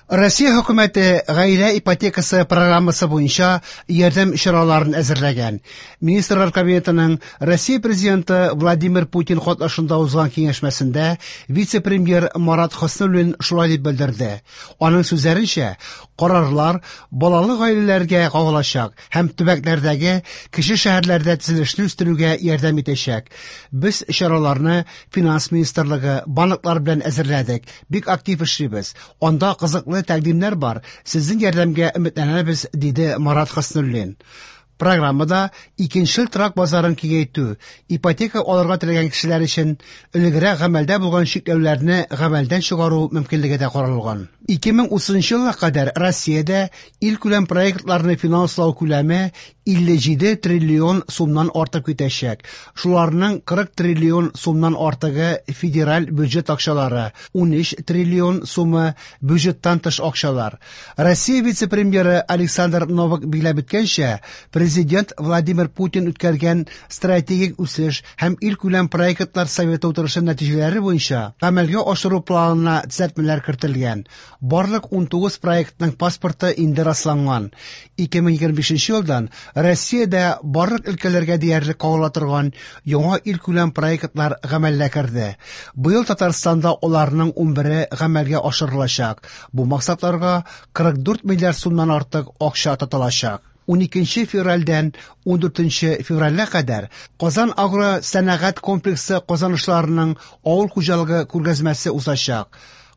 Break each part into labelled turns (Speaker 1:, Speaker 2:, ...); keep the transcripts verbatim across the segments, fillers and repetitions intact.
Speaker 1: Россия хөкүмәте гаилә ипотекасы программасы буенча ярдәм чараларын әзерләгән. Министрлар Кабинетының Россия Президенты Владимир Путин катнашында узган киңәшмәсендә вице-премьер Марат Хөснуллин шулай дип белдерде. Аның сүзләренчә, карарлар балалы гаиләләргә кагылачак һәм төбәкләрдәге кече шәһәрләрдә төзелешне үстерүгә ярдәм итәчәк. Без чараларны Финанс министрлыгы, банклар белән әзерләдек. Бик актив эшлибез. Анда кызыклы тәкъдимнәр бар. Сезнең ярдәмгә өметләнәбез, диде Марат Хөснуллин. Программада икенчел торак базарын киңәйтү, ипотека алырга теләгән кешеләр өчен элегрәк гамәлдә булган чикләүләрне гамәлдән чыгару мөмкинлеге дә каралган. ике мең утызынчы елга кадәр Россиядә илкүләм проектларны финанслау күләме илле җиде триллион сумнан артып китәчәк. Шуларның кырык триллион сумнан артыгы федераль бюджет акчалары, унөч триллион сумы бюджеттан тыш акчалар. Россия вице-премьеры Александр Новак билгеләп үткәнчә, Президент Владимир Путин үткәргән стратегик үсеш һәм илкүләм проектлар советы утырышы нәтиҗәләре буенча гамәлгә ашыру планына төзәтмәләр кертелгән. Барлык унтугыз проектның паспорты инде расланган. ике мең егерме бишенче елдан Россиядә барлык өлкәләргә диярлек кагыла торган яңа илкүләм проектлар гамәлгә керде. Быел Татарстанда аларның унбере гамәлгә ашырылачак. Бу максатларга кырык дүрт миллиард сумнан артык акча тотылачак. Уникенче февральдән ундүртенче февральгә кадәр Казан агро сәнәгать комплексы казанышларының авыл хуҗалыгы күргәзмәсе узачак.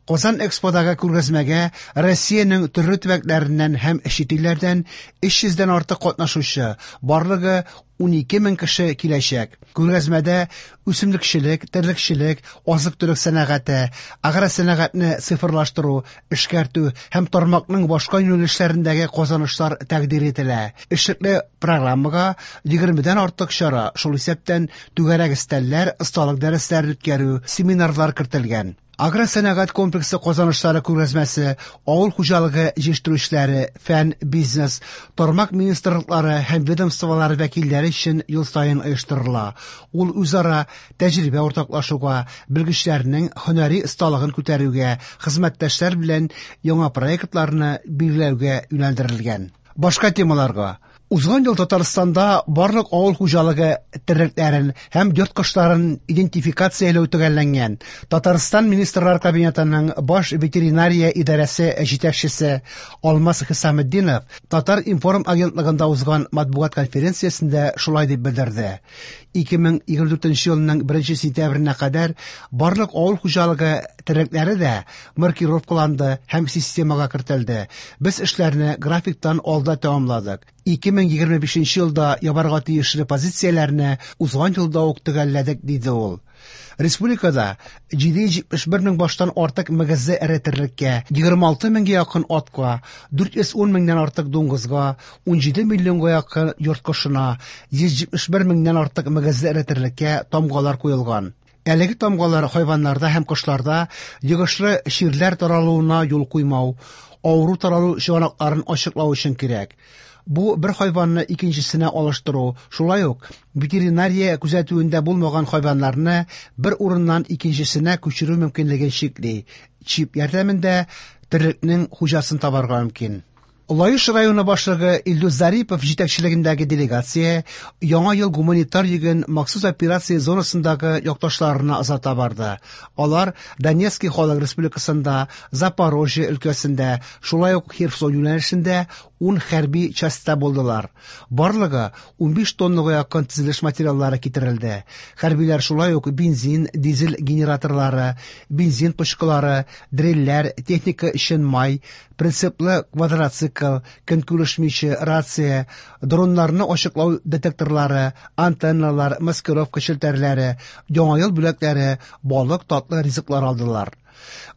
Speaker 1: Казан Эксподагы күргәзмәгә Россиянең төрле төбәкләреннән һәм чит илләрдән өч йөздән артык катнашучы, барлыгы унике мең кеше киләчәк. Күргәзмәдә үсемлекчелек, терлекчелек, азык-төлек сәнәгате, агросәнәгатьне цифрлаштыру, эшкәртү һәм тармакның башка юнәлешләрендәге казанышлар тәкъдир ителә. Эшлекле программага егермедән артык чара, шул исәптән түгәрәк өстәлләр, осталык дәресләре үткәрү, семинарлар кертелгән. Агросәнәгать комплексы казанышлары күргәзмәсе авыл хуҗалыгы җитештерүчеләре, фән, бизнес, тармак министрлыклары һәм ведомстволары вәкилләре өчен ел саен оештырыла. Ул үзара тәҗрибә уртаклашуга, белгечләрнең һөнәри осталыгын күтәрүгә, хезмәттәшләр белән яңа проектларны билгеләүгә юнәлдерелгән. Башка темаларга. Узган ел Татарстанда барлык авыл хуҗалыгы терлекләрен һәм йорт кошларын идентификацияләү төгәлләнгән. Татарстан Министрлар Кабинетының баш ветеринария идарәсе җитәкчесе Алмаз Хисаметдинов Татар-информ агентлыгында узган матбугат конференциясендә шулай дип белдерде. ике мең егерме дүртенче елның беренче сентябренә кадәр барлык авыл хуҗалыгы терлекләре дә маркировкаланды һәм системага кертелде. Без эшләрне графиктан алда тәмамладык. ике мең егерме бишенче елда ябарга тиешле позицияләрне узган елда ук төгәлләдек, диде ул. Республикада җиде йөз җитмеш бер мең баштан артык мөгезле эре терлеккә, егерме алты меңгә якын атка, дүрт йөз ун меңнән артык дуңгызга, унҗиде миллионга якын йорт кошына, йөз җитмеш бер меңнән артык мөгезле эре терлеккә тамгалар куелган. Әлеге тамгалар хайваннарда һәм кошларда йогышлы чирләр таралуына юл куймау, авыру таралу чыганакларын ачыклау өчен кирәк. Бу бер хайванны икенчесенә алыштыру, шулай ук ветеринария күзәтүендә булмаган хайваннарны бер урыннан икенчесенә күчерү мөмкинлеген чикли. Чип ярдәмендә терлекнең хуҗасын табарга мөмкин. Лаеш районы башлыгы Илдус Зарипов җитәкчелегендәге делегация Яңа ел гуманитар йөген махсус операция зонасындагы якташларына озата барды. Алар Донецкий халык республикасында, Запорожье өлкәсендә, шулай ук Херсон юнәлешендә ун хәрби частьта булдылар. Барлыгы унбиш тоннага якын төзелеш материаллары китерелде. Хәрбиләр шулай ук бензин, дизель генераторлары, бензин пычкылары, дрельләр, техника өчен май, принциплы квадроцикл, көнкүреш миче, рация, дроннарны ачыклау детекторлары, антенналар, маскировка челтәрләре, яңа ел бүләкләре, балык, татлы ризыклар алдылар.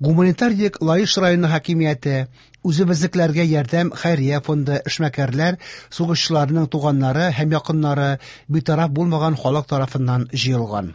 Speaker 1: Гуманитар йөк Лаеш районы хакимияте, үзебезнекеләргә ярдәм хәйрия фонды, эшмәкәрләр, сугышчыларның туганнары һәм якыннары, битараф булмаган халык тарафыннан җыелган.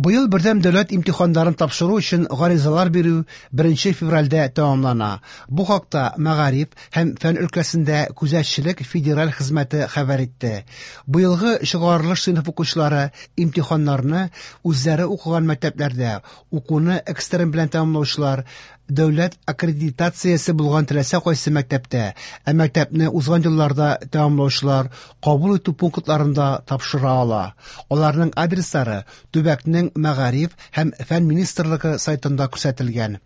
Speaker 1: Быел бердәм дәүләт имтиханнарын тапшыру өчен гаризалар бирү беренче февральдә тәмамлана. Бу хакта Мәгариф һәм фән өлкәсендә күзәтчелек федераль хезмәте хәбәр итте. Быелгы чыгарылыш сыйныф укучылары имтиханнарны үзләре укыган мәктәпләрдә укуны экстерн белән тәмамлаучылар дәүләт аккредитациясе булган теләсә кайсы мәктәптә, ә мәктәпне узган елларда тәмамлаучылар кабул итү пунктларында тапшыра ала. Аларның адреслары төбәкнең Мәгариф һәм фән министрлыгы сайтында күрсәтелгән.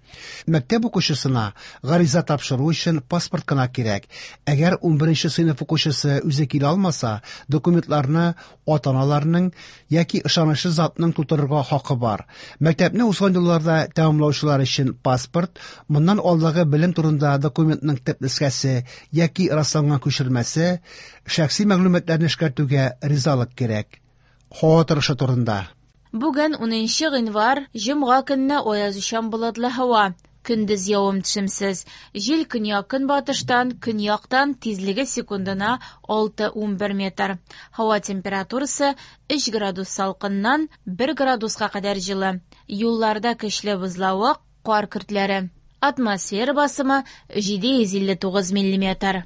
Speaker 1: Мәктәп укучысына гариза тапшыру өчен паспорт кына кирәк. Әгәр унберенче сыйныф укучысы үзе килә алмаса, документларны ата-аналарының яки ышанычлы затның тутырырга хакы бар. Мәктәпне узган елларда тәмамлаучылар өчен паспорт, моннан алдагы белем турында документның төп нөсхәсе яки расланган күчермәсе, шәхси мәгълүматларны эшкәртүгә ризалык кирәк. Һава торышы турында.
Speaker 2: Бүген унынчы гыйнвар, җомга көнне аязучан болытлы һава. Көндез явым-төшемсез. Җил көньяк-көнбатыштан, көньяктан, тизлеге секундына алты-унбер метр. Һава температурасы өч градус салкыннан бер градуска кадәр җылы. Юлларда көчле бозлавык, кар көртләре. Атмосфера басымы җиде йөз илле тугыз миллиметр.